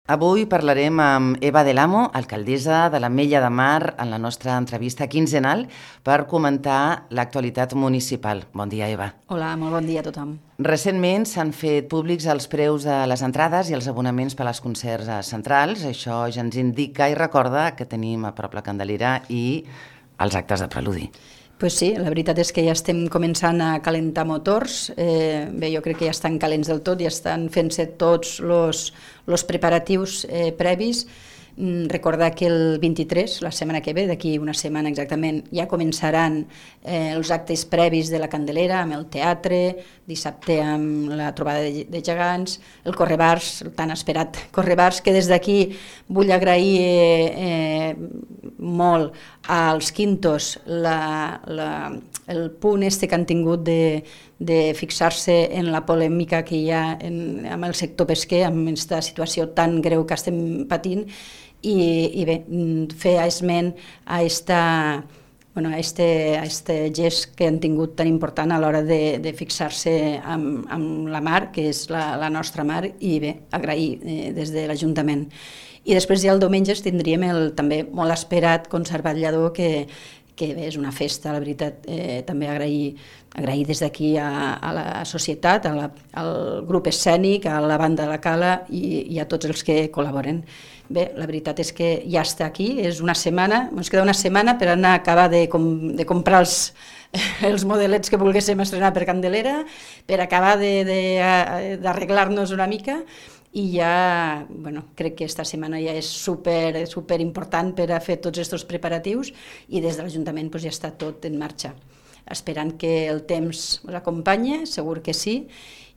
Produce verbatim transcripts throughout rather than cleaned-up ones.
Avui parlarem amb Eva Del Amo, alcaldessa de l'Ametlla de Mar, en la nostra entrevista quinzenal per comentar l'actualitat municipal. Bon dia, Eva. Hola, molt bon dia a tothom. Recentment s'han fet públics els preus de les entrades i els abonaments per als concerts centrals. Això ja ens indica i recorda que tenim a prop la Candelera i els actes de preludi. Pues sí, la veritat és que ja estem començant a calentar motors. Eh, bé, jo crec que ja estan calents del tot, ja estan fent-se tots els preparatius eh, previs. Mm, recordar que el vint-i-tres, la setmana que ve, d'aquí una setmana exactament, ja començaran eh, els actes previs de la Candelera, amb el teatre, dissabte amb la trobada de, de gegants, el Correbars, el tan esperat Correbars, que des d'aquí vull agrair eh, eh, molt als Quintos la, la, el punt este que han tingut de, de fixar-se en la polèmica que hi ha en, amb el sector pesquer, amb aquesta situació tan greu que estem patint, i, i bé, fer esment a esta, bueno, a este, a este gest que han tingut tan important a l'hora de, de fixar-se amb, amb la mar, que és la, la nostra mar, i bé, agrair eh, des de l'Ajuntament. I després ja el diumenge tindríem el també molt esperat concert ballador, que, que bé, és una festa, la veritat. Eh, també agrair, agrair des d'aquí a, a la societat, a la, al grup escènic, a la banda de la Cala i, i a tots els que col·laboren. Bé, la veritat és que ja està aquí, és una setmana, ens queda una setmana per anar a acabar de, com, de comprar els, els modelets que volguéssim estrenar per Candelera, per acabar d'arreglar-nos una mica, i ja, bueno, crec que esta setmana ja és super, super important per a fer tots aquests preparatius, i des de l'Ajuntament pues, ja està tot en marxa. Esperant que el temps us acompanyi, segur que sí,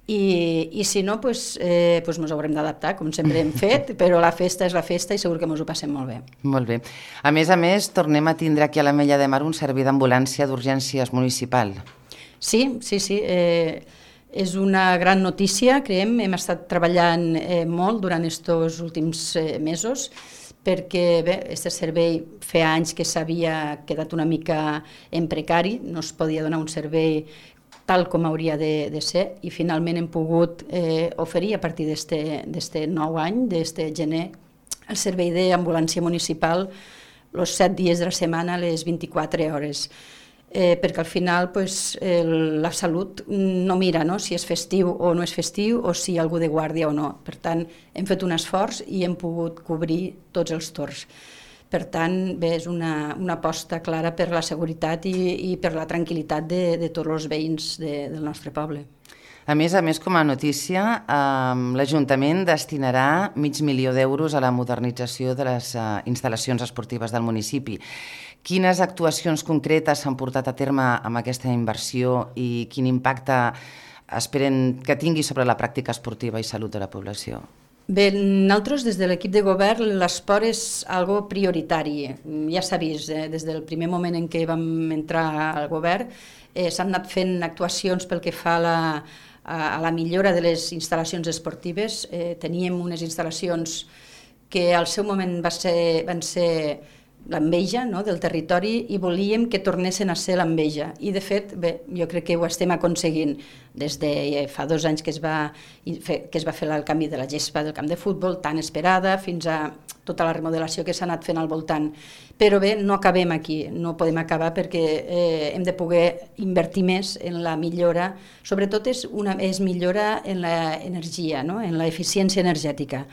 i, i si no, pues, eh, pues ens haurem d'adaptar, com sempre hem fet, però la festa és la festa i segur que ens ho passem molt bé. Molt bé. A més a més, tornem a tindre aquí a l'Ametlla de Mar un servei d'ambulància d'urgències municipal. Sí, sí, sí. Eh, és una gran notícia, creiem. Hem estat treballant eh, molt durant aquests últims eh, mesos, perquè bé, aquest servei feia anys que s'havia quedat una mica en precari, no es podia donar un servei tal com hauria de, de ser, i finalment hem pogut eh, oferir a partir d'aquest nou any, d'aquest gener, el servei d'ambulància municipal els set dies de la setmana, les vint-i-quatre hores. Eh, perquè al final pues, el, la salut no mira no, si és festiu o no és festiu o si hi ha algú de guàrdia o no. Per tant, hem fet un esforç i hem pogut cobrir tots els torns. Per tant, bé, és una, una aposta clara per la seguretat i, i per la tranquil·litat de, de tots els veïns de, del nostre poble. A més a més, com a notícia, eh, l'Ajuntament destinarà mig milió d'euros a la modernització de les eh, instal·lacions esportives del municipi. Quines actuacions concretes s'han portat a terme amb aquesta inversió i quin impacte esperen que tingui sobre la pràctica esportiva i salut de la població? Bé, nosaltres des de l'equip de govern l'esport és algo prioritari. Ja s'ha vist, eh, des del primer moment en què vam entrar al govern, eh, s'han anat fent actuacions pel que fa a la, a la millora de les instal·lacions esportives. Eh, teníem unes instal·lacions que al seu moment va ser, van ser l'enveja no, del territori i volíem que tornessin a ser l'enveja. I de fet, bé, jo crec que ho estem aconseguint des de fa dos anys que es va, que es va fer el canvi de la gespa del camp de futbol, tan esperada, fins a tota la remodelació que s'ha anat fent al voltant. Però bé, no acabem aquí, no podem acabar perquè eh, hem de poder invertir més en la millora, sobretot és, una, és millora en l'energia, no? En l'eficiència energètica.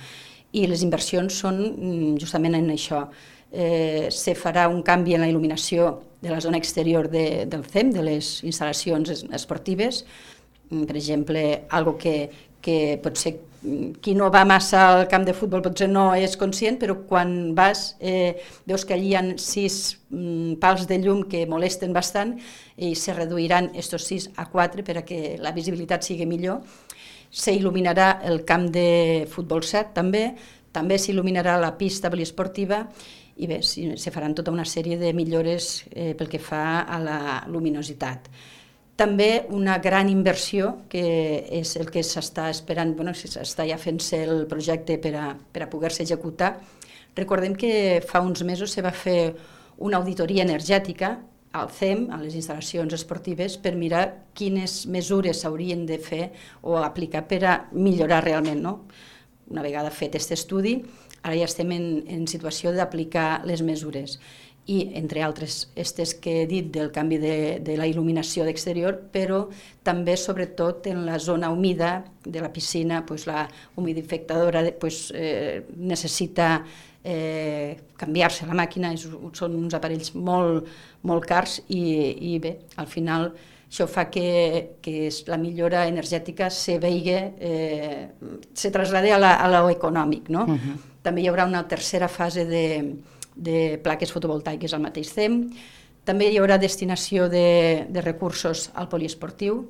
I les inversions són justament en això. Eh, se farà un canvi en la il·luminació de la zona exterior de, del C E M, de les instal·lacions esportives. Per exemple, algo que, que potser qui no va massa al camp de futbol potser no és conscient, però quan vas eh, veus que allí hi ha sis mm, pals de llum que molesten bastant i se reduiran estos sis a quatre per a que la visibilitat sigui millor. S'il·luminarà el camp de futbol set també, també s'il·luminarà la pista poliesportiva i bé, se faran tota una sèrie de millores eh, pel que fa a la luminositat. També una gran inversió, que és el que s'està esperant, bueno, s'està ja fent-se el projecte per a, per a poder-se executar. Recordem que fa uns mesos se va fer una auditoria energètica al C E M, a les instal·lacions esportives, per mirar quines mesures s'haurien de fer o aplicar per a millorar realment, no? una vegada fet aquest estudi, ara ja estem en, en situació d'aplicar les mesures. I, entre altres, aquestes que he dit del canvi de, de la il·luminació d'exterior, però també, sobretot, en la zona humida de la piscina, pues, la humidificadora pues, eh, necessita eh, canviar-se la màquina, és, són uns aparells molt, molt cars i, i bé, al final això fa que, que la millora energètica se vegi, eh, se traslade a lo econòmic, no? Uh-huh. També hi haurà una tercera fase de de plaques fotovoltaiques al mateix temps. També hi haurà destinació de, de recursos al poliesportiu,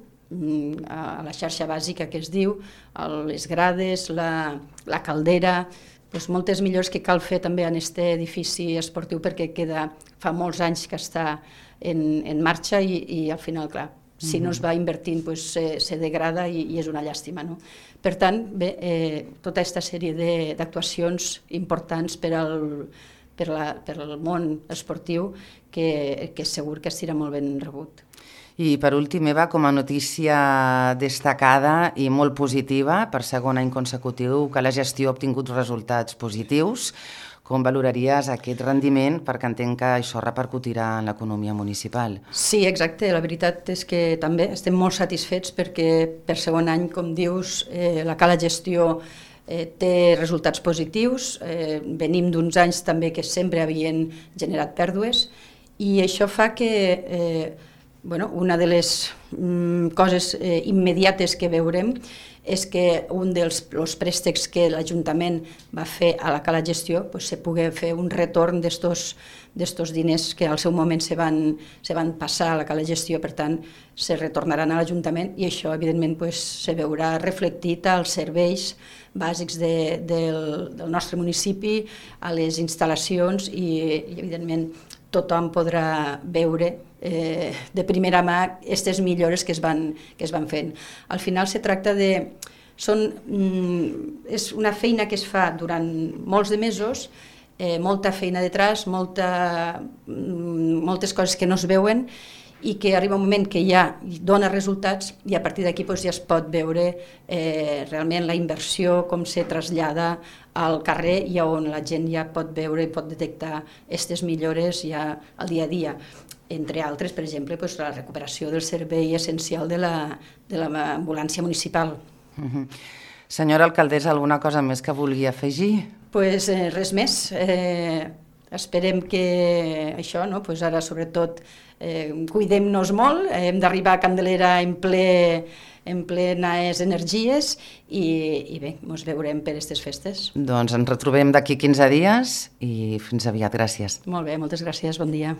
a la xarxa bàsica que es diu, a les grades, la, la caldera, doncs moltes millores que cal fer també en aquest edifici esportiu perquè queda, fa molts anys que està en, en marxa i, i al final, clar, si no es va invertint doncs, se, se degrada i, i és una llàstima. No? Per tant, bé, eh, tota aquesta sèrie d'actuacions importants per al per, la, per al món esportiu que, que segur que estirà molt ben rebut. I per últim, Eva, com a notícia destacada i molt positiva, per segon any consecutiu que la gestió ha obtingut resultats positius, com valoraries aquest rendiment? Perquè entenc que això repercutirà en l'economia municipal. Sí, exacte. La veritat és que també estem molt satisfets perquè per segon any, com dius, eh, la Cala Gestió Eh, té resultats positius, eh, venim d'uns anys també que sempre havien generat pèrdues i això fa que eh, bueno, una de les mm, coses eh, immediates que veurem és que un dels els préstecs que l'Ajuntament va fer a la Cala Gestió pues, se pugui fer un retorn d'estos diners que al seu moment se van, se van passar a la Cala Gestió, per tant se retornaran a l'Ajuntament i això evidentment pues, se veurà reflectit als serveis bàsics de, del, del nostre municipi, a les instal·lacions i, i evidentment tothom podrà veure eh, de primera mà aquestes millores que es, van, que es van fent. Al final se tracta de... Són, mm, és una feina que es fa durant molts de mesos, eh, molta feina detrás, molta, mm, moltes coses que no es veuen i que arriba un moment que ja dona resultats i a partir d'aquí doncs, ja es pot veure eh, realment la inversió, com se trasllada al carrer i on la gent ja pot veure i pot detectar aquestes millores ja al dia a dia. Entre altres, per exemple, doncs, la recuperació del servei essencial de l'ambulància municipal. Uh-huh. Senyora alcaldessa, alguna cosa més que vulgui afegir? Pues, eh, res més. Eh, esperem que això, no? Pues ara sobretot eh, cuidem-nos molt, eh, hem d'arribar a Candelera en ple en plenes energies i, i bé, ens veurem per aquestes festes. Doncs ens retrobem d'aquí quinze dies i fins aviat. Gràcies. Molt bé, moltes gràcies, bon dia.